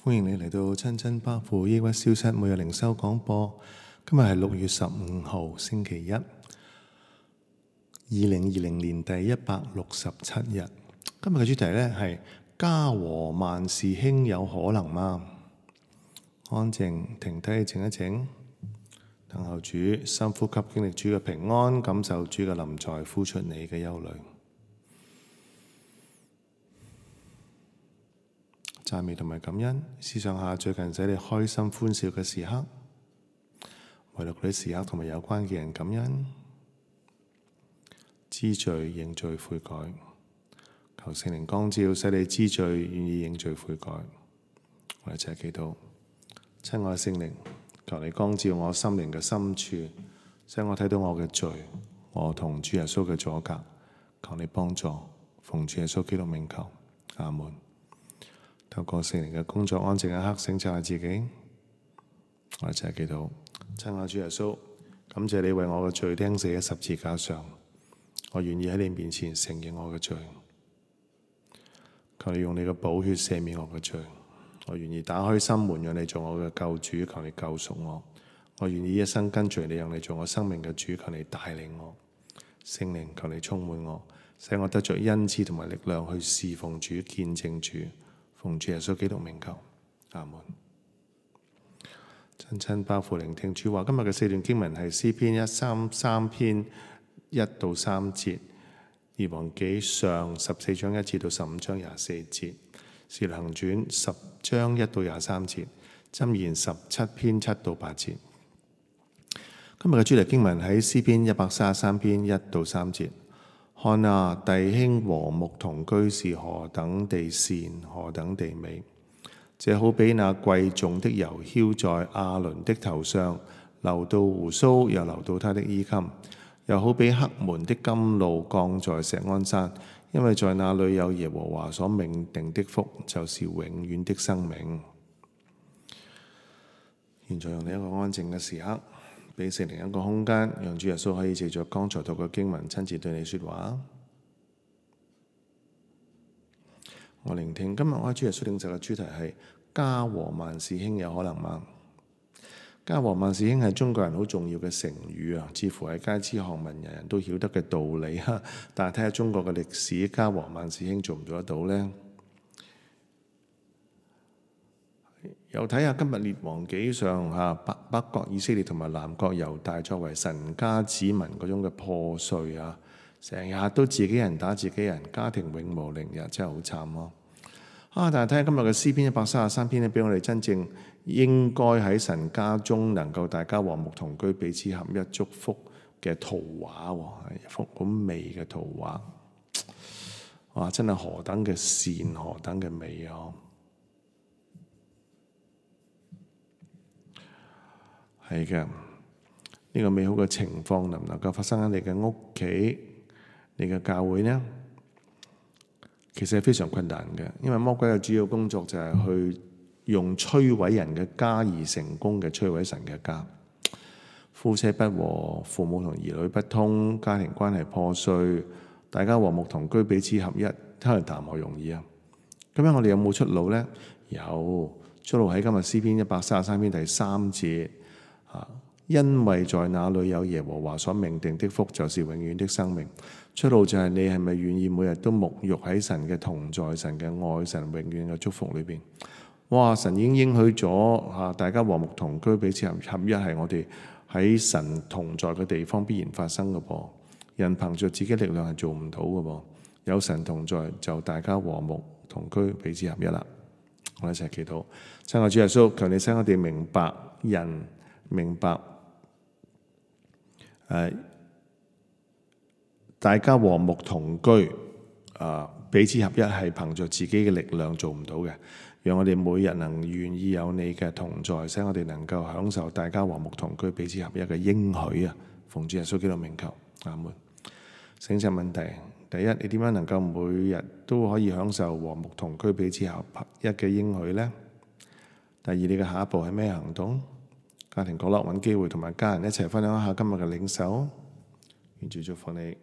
歡迎你嚟到親親百父抑鬱消失每日靈修廣播。今日係6月15號星期一，2020年第167日。今日嘅主題呢係家和萬事興有可能嗎？安靜停低靜一靜，等候主，深呼吸，經歷主嘅平安，感受主嘅臨在，呼出你嘅憂慮。讚美同埋感恩，思想下最近使你開心歡笑嘅時刻，為咗嗰啲時刻同埋有關嘅人感恩，知罪認罪悔改，求聖靈光照，使你知罪願意認罪悔改。我哋一齊祈禱，親愛聖靈，求你光照我心靈嘅深處，使我睇到我嘅罪，我同主耶穌嘅阻隔，求你幫助，奉主耶穌基督名求，阿門。透過聖靈嘅工作，安靜一刻，省察下自己。我哋一齊祈禱，親愛主耶穌，感謝你為我嘅罪釘死喺十字架上，我願意喺你面前承認我嘅罪。求你用你嘅寶血赦免我嘅罪，我願意打開心門，讓你做我嘅救主。求你救贖我，我願意一生跟隨你，讓你做我生命嘅主。求你帶領我，聖靈，求你充滿我，使我得着恩賜同埋力量去侍奉主、見證主。奉主耶穌基督名求，阿門。親親百父聆聽主話，今日嘅4段經文係詩篇133篇1到3節，列王紀上14章1節到15章24節，使徒行傳10章1到23節，箴言17篇7到8節。今日嘅主題經文喺詩篇133篇1到3節。看啊，弟兄和睦同居是何等地善，何等地美！這好比那貴重的油澆在亞倫的頭上，流到鬍鬚，又流到他的衣襟；又好比黑門的甘露降在錫安山，因為在那裏有耶和華所命定的福，就是永遠的生命。現在用你一個安靜嘅時刻，俾聖靈一個空間，讓主耶穌可以藉着剛才讀嘅經文親自對你說話。我聆聽今日我喺主耶穌領袖嘅主題係家和萬事興有可能嗎？家和萬事興係中國人好重要嘅成語啊，似乎係街知巷聞，人人都曉得嘅道理哈。但係睇下中國嘅歷史，家和萬事興做唔做得到呢？又睇下今日列王紀上北國以色列同埋南國猶大作為神家子民嗰種嘅破碎啊，成日都自己人打自己人，家庭永無寧日，真係好慘咯。但係睇下今日嘅詩篇133篇咧，俾我哋真正應該喺神家中能夠大家和睦同居、彼此合一、祝福嘅圖畫，係一幅好美嘅圖畫。哇！真係何等嘅善，何等嘅美啊！係嘅，呢個美好嘅情況能唔能夠發生喺你嘅屋企、你嘅教會呢？其實係非常困難嘅，因為魔鬼嘅主要工作就係去用摧毀人嘅家而成功嘅摧毀神嘅家。夫妻不和，父母同兒女不通，家庭關係破碎，大家和睦同居，彼此合一，睇嚟談何容易啊！咁樣我哋有冇出路呢？有出路喺今日詩篇133篇第3節。因為在那裏有耶和華所命定的福，就是永遠的生命。出路就係你係咪願意每日都沐浴喺神嘅同在、神嘅愛、神永遠嘅祝福裏邊？哇！神已經應許咗大家和睦同居、彼此合一，係我哋喺神同在嘅地方必然發生嘅噃。人憑着自己力量係做唔到嘅噃，有神同在就大家和睦同居、彼此合一啦。我哋一齊祈禱，親愛主耶穌，求你使我哋明白人。明白，大家和睦同居，彼此合一係憑着自己嘅力量做唔到嘅。讓我哋每日能願意有你嘅同在，使我哋能夠享受大家和睦同居、彼此合一嘅應許啊！奉主耶穌基督名求，阿門。省察問題，第一，你點樣能夠每日都可以享受和睦同居、彼此合一嘅應許呢？第二，你嘅下一步係咩行動？家庭角落揾機會同埋家人一齊分享一下今日嘅領受，願主祝福你。